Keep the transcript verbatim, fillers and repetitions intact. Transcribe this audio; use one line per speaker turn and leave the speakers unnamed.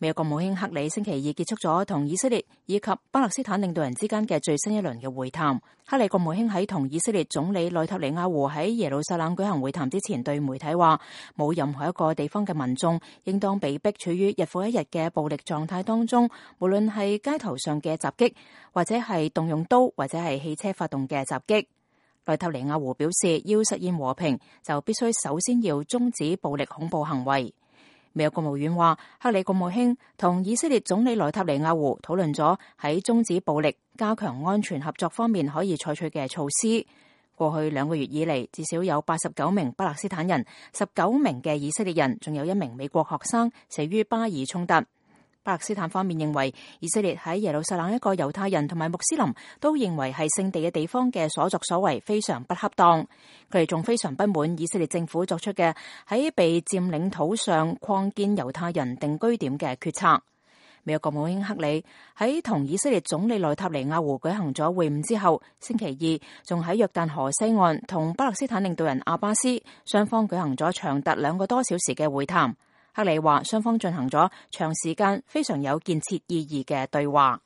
美國國務卿克里星期二結束咗同以色列以及巴勒斯坦領導人之間嘅最新一輪嘅會談。克里國務卿喺同以色列總理內塔尼亞胡喺耶路撒冷舉行會談之前，對媒體話：冇任何一個地方嘅民眾應當被逼處於日復一日嘅暴力狀態當中，無論係街頭上嘅襲擊，或者係動用刀或者係汽車發動嘅襲擊。內塔尼亞胡表示，要實現和平，就必須首先要終止暴力恐怖行為。美國國務院話，克里國務卿同以色列總理內塔尼亞胡討論咗喺終止暴力、加強安全合作方面可以採取嘅措施。過去兩個月以嚟，至少有八十九名巴勒斯坦人、十九名嘅以色列人，仲有一名美國學生死於巴以衝突。巴勒斯坦方面認為，以色列喺耶路撒冷一個猶太人同埋穆斯林都認為係聖地嘅地方嘅所作所為非常不恰當。佢哋仲非常不滿以色列政府作出嘅喺被佔領土上擴建猶太人定居點嘅決策。美國國務卿克里喺同以色列總理內塔尼亞胡舉行咗會晤之後，星期二仲喺約旦河西岸同巴勒斯坦領導人阿巴斯雙方舉行咗長達兩個多小時嘅會談。克里話雙方進行咗長時間非常有建設意義嘅對話。